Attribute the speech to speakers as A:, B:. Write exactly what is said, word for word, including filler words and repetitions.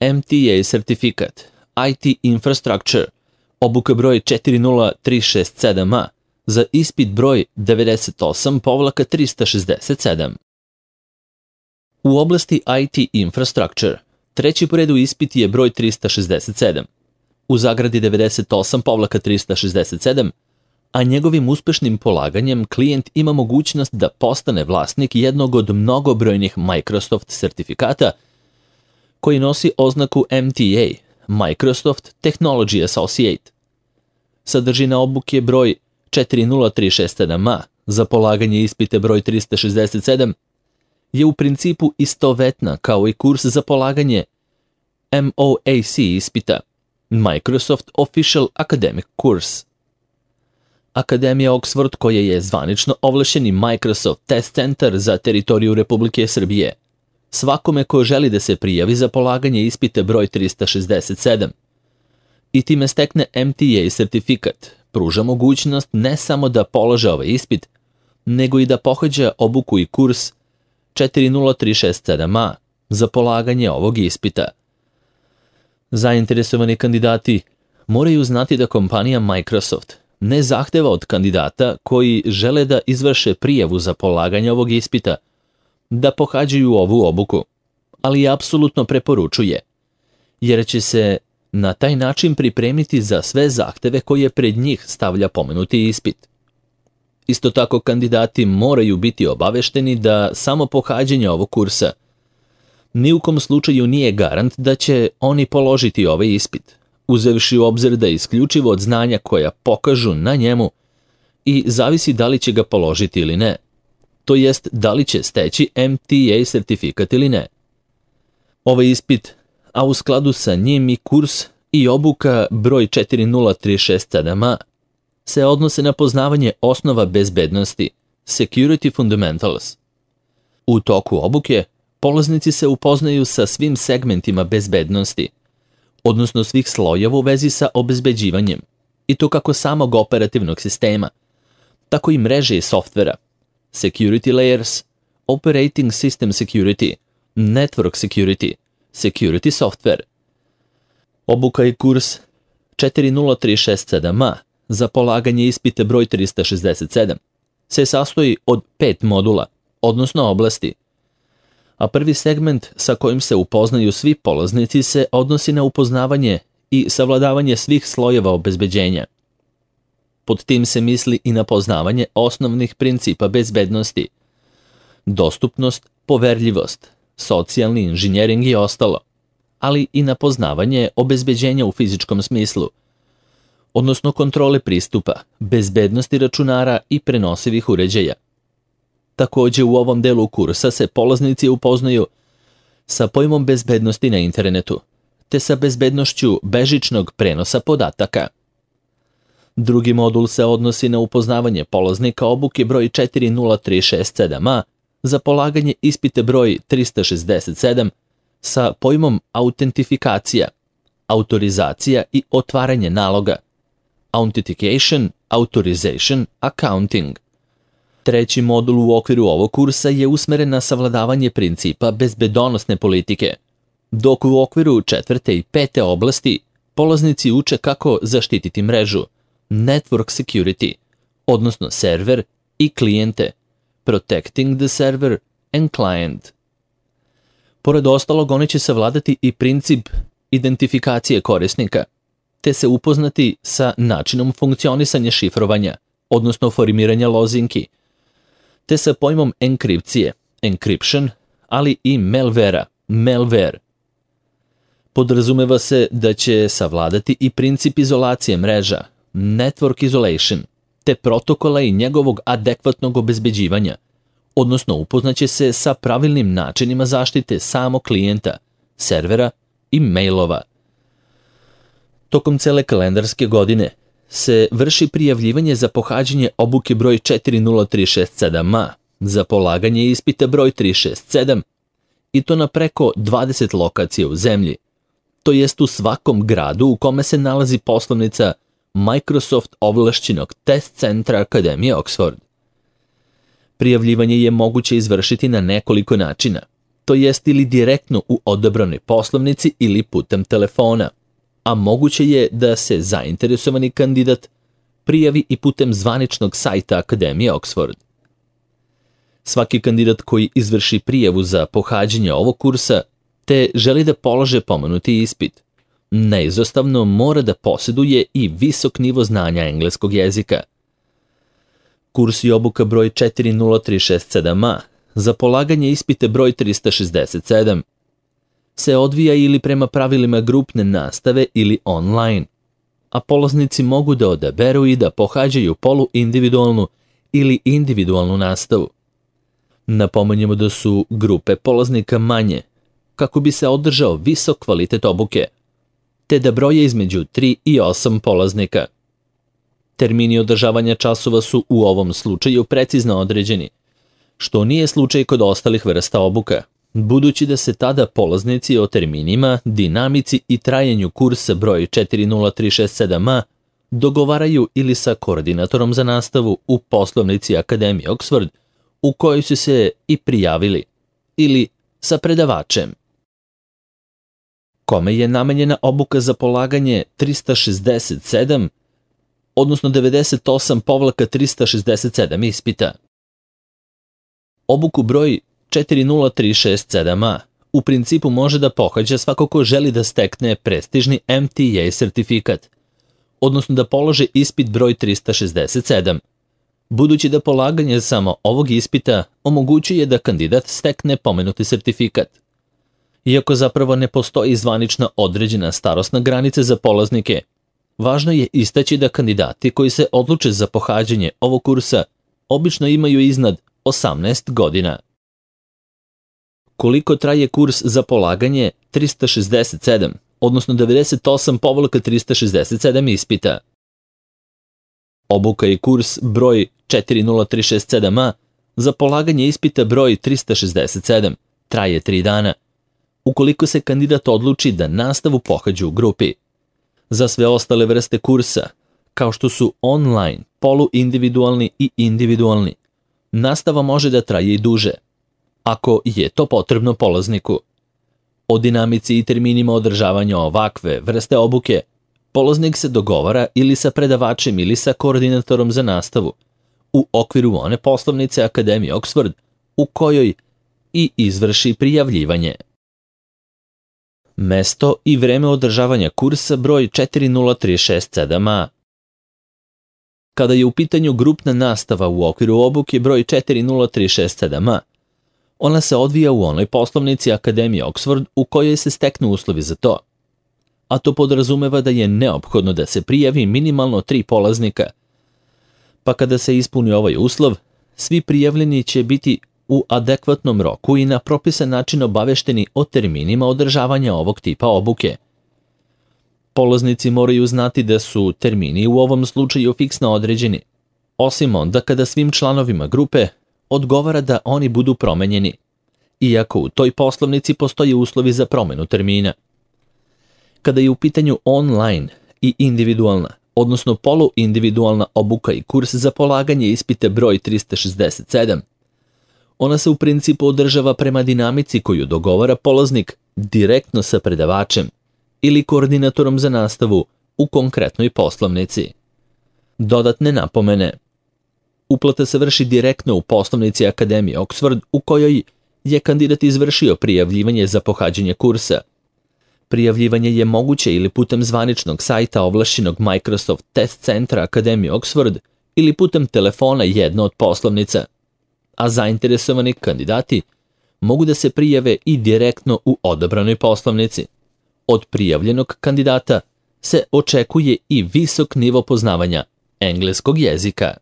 A: M T A sertifikat, I T Infrastructure, obuka broj četiri nula tri šest sedam A, za ispit broj devedeset osam trista šezdeset sedam. U oblasti I T Infrastructure, treći po redu ispit je broj trista šezdeset sedam, u zagradi devedeset osam trista šezdeset sedam, a njegovim uspešnim polaganjem klijent ima mogućnost da postane vlasnik jednog od mnogobrojnih Microsoft sertifikata koji nosi oznaku M T A, Microsoft Technology Associate. Sadržina obuke broj četiri nula tri šest sedam A za polaganje ispita broj trista šezdeset sedam je u principu istovetna kao i kurs za polaganje M O A C ispita, Microsoft Official Academic Course. Akademija Oxford, koja je zvanično ovlašćeni Microsoft Test Center za teritoriju Republike Srbije, svakome ko želi da se prijavi za polaganje ispita broj trista šezdeset sedam i time stekne M T A sertifikat, pruža mogućnost ne samo da polaže ovaj ispit, nego i da pohađa obuku i kurs četiri nula tri šest sedam A za polaganje ovog ispita. Zainteresovani kandidati moraju znati da kompanija Microsoft ne zahteva od kandidata koji žele da izvrše prijavu za polaganje ovog ispita da pohađaju ovu obuku, ali apsolutno preporučuje, jer će se na taj način pripremiti za sve zahteve koje pred njih stavlja pomenuti ispit. Isto tako, kandidati moraju biti obavešteni da samo pohađanje ovog kursa ni u kom slučaju nije garant da će oni položiti ovaj ispit, uzevši u obzir da je isključivo od znanja koja pokažu na njemu i zavisi da li će ga položiti ili ne, to jest da li će steći M T A sertifikat ili ne. Ovaj ispit, a u skladu sa njim i kurs i obuka broj četiri nula tri šest sedam A, se odnose na poznavanje osnova bezbednosti, Security Fundamentals. U toku obuke, polaznici se upoznaju sa svim segmentima bezbednosti, odnosno svih slojeva u vezi sa obezbeđivanjem, i to kako samog operativnog sistema, tako i mreže i softvera, Security Layers, Operating System Security, Network Security, Security Software. Obuka i kurs četiri nula tri šest sedam A za polaganje ispita broj trista šezdeset sedam se sastoji od pet modula, odnosno oblasti, a prvi segment sa kojim se upoznaju svi polaznici se odnosi na upoznavanje i savladavanje svih slojeva obezbeđenja. Pod tim se misli i na poznavanje osnovnih principa bezbednosti, dostupnost, poverljivost, socijalni inženjering i ostalo, ali i na poznavanje obezbeđenja u fizičkom smislu, odnosno kontrole pristupa, bezbednosti računara i prenosivih uređaja. Također u ovom delu kursa se polaznici upoznaju sa pojmom bezbednosti na internetu, te sa bezbednošću bežičnog prenosa podataka. Drugi modul se odnosi na upoznavanje polaznika obuke broj četiri nula tri šest sedam A za polaganje ispita broj trista šezdeset sedam sa pojmom autentifikacija, autorizacija i otvaranje naloga, authentication, authorization, accounting. Treći modul u okviru ovog kursa je usmeren na savladavanje principa bezbedonosne politike, dok u okviru četvrte i pete oblasti polaznici uče kako zaštititi mrežu, network security, odnosno server i klijente, protecting the server and client. Pored ostalog, oni će savladati i princip identifikacije korisnika, te se upoznati sa načinom funkcionisanja šifrovanja, odnosno formiranja lozinki, te sa pojmom enkripcije, encryption, ali i malvera, malware. Podrazumeva se da će savladati i princip izolacije mreža, network isolation, te protokola i njegovog adekvatnog obezbeđivanja, odnosno upoznaće se sa pravilnim načinima zaštite samog klijenta, servera i mailova. Tokom cele kalendarske godine se vrši prijavljivanje za pohađanje obuke broj četiri nula tri šest sedam A za polaganje ispita broj tri šest sedam i to na preko dvadeset lokacija u zemlji, to jest u svakom gradu u kome se nalazi poslovnica Microsoft ovlašćenog test centra Akademije Oxford. Prijavljivanje je moguće izvršiti na nekoliko načina, to jest ili direktno u odabranoj poslovnici ili putem telefona, a moguće je da se zainteresovani kandidat prijavi i putem zvaničnog sajta Akademije Oxford. Svaki kandidat koji izvrši prijavu za pohađanje ovog kursa te želi da polože pomenuti ispit, neizostavno mora da posjeduje i visok nivo znanja engleskog jezika. Kurs i obuka broj četiri nula tri šest sedam a za polaganje ispite broj trista šezdeset sedam se odvija ili prema pravilima grupne nastave ili online, a polaznici mogu da odaberu i da pohađaju poluindividualnu ili individualnu nastavu. Napomenjemo da su grupe polaznika manje, kako bi se održao visok kvalitet obuke, te da broje između tri i osam polaznika. Termini održavanja časova su u ovom slučaju precizno određeni, što nije slučaj kod ostalih vrsta obuka, budući da se tada polaznici o terminima, dinamici i trajanju kursa broj četiri nula tri šest sedam a dogovaraju ili sa koordinatorom za nastavu u poslovnici Akademije Oxford, u kojoj su se i prijavili, ili sa predavačem. Kome je namenjena obuka za polaganje trista šezdeset sedam, odnosno devedeset osam trista šezdeset sedam ispita? Obuku broj četiri nula tri šest sedam a u principu može da pohađa svako ko želi da stekne prestižni M T A sertifikat, odnosno da položi ispit broj trista šezdeset sedam, budući da polaganje samo ovog ispita omogućuje da kandidat stekne pomenuti sertifikat. Iako zapravo ne postoji zvanična određena starosna granica za polaznike, važno je istaći da kandidati koji se odluče za pohađanje ovog kursa obično imaju iznad osamnaest godina. Koliko traje kurs za polaganje trista šezdeset sedam, odnosno devedeset osam trista šezdeset sedam ispita? Obuka i kurs broj četiri nula tri šest sedam a za polaganje ispita broj trista šezdeset sedam traje tri dana, ukoliko se kandidat odluči da nastavu pohađa u grupi. Za sve ostale vrste kursa, kao što su online, poluindividualni i individualni, nastava može da traje i duže, ako je to potrebno polazniku. O dinamici i terminima održavanja ovakve vrste obuke polaznik se dogovara ili sa predavačem ili sa koordinatorom za nastavu u okviru one poslovnice Akademije Oxford u kojoj i izvrši prijavljivanje. Mesto i vreme održavanja kursa broj četiri nula tri šest sedam a. Kada je u pitanju grupna nastava u okviru obuke broj četiri nula tri šest sedam a, ona se odvija u onoj poslovnici Akademije Oxford u kojoj se steknu uslovi za to, a to podrazumeva da je neophodno da se prijavi minimalno tri polaznika. Pa kada se ispuni ovaj uslov, svi prijavljeni će biti u adekvatnom roku i na propisan način obavešteni o terminima održavanja ovog tipa obuke. Polaznici moraju znati da su termini u ovom slučaju fiksno određeni, osim onda kada svim članovima grupe odgovara da oni budu promenjeni, iako u toj poslovnici postoje uslovi za promenu termina. Kada je u pitanju online i individualna, odnosno poluindividualna obuka i kurs za polaganje ispita broj trista šezdeset sedam, ona se u principu održava prema dinamici koju dogovara polaznik direktno sa predavačem ili koordinatorom za nastavu u konkretnoj poslovnici. Dodatne napomene. Uplata se vrši direktno u poslovnici Akademije Oxford u kojoj je kandidat izvršio prijavljivanje za pohađanje kursa. Prijavljivanje je moguće ili putem zvaničnog sajta ovlašćenog Microsoft Test Centra Akademije Oxford ili putem telefona jedne od poslovnica, a zainteresovani kandidati mogu da se prijave i direktno u odabranoj poslovnici. Od prijavljenog kandidata se očekuje i visok nivo poznavanja engleskog jezika.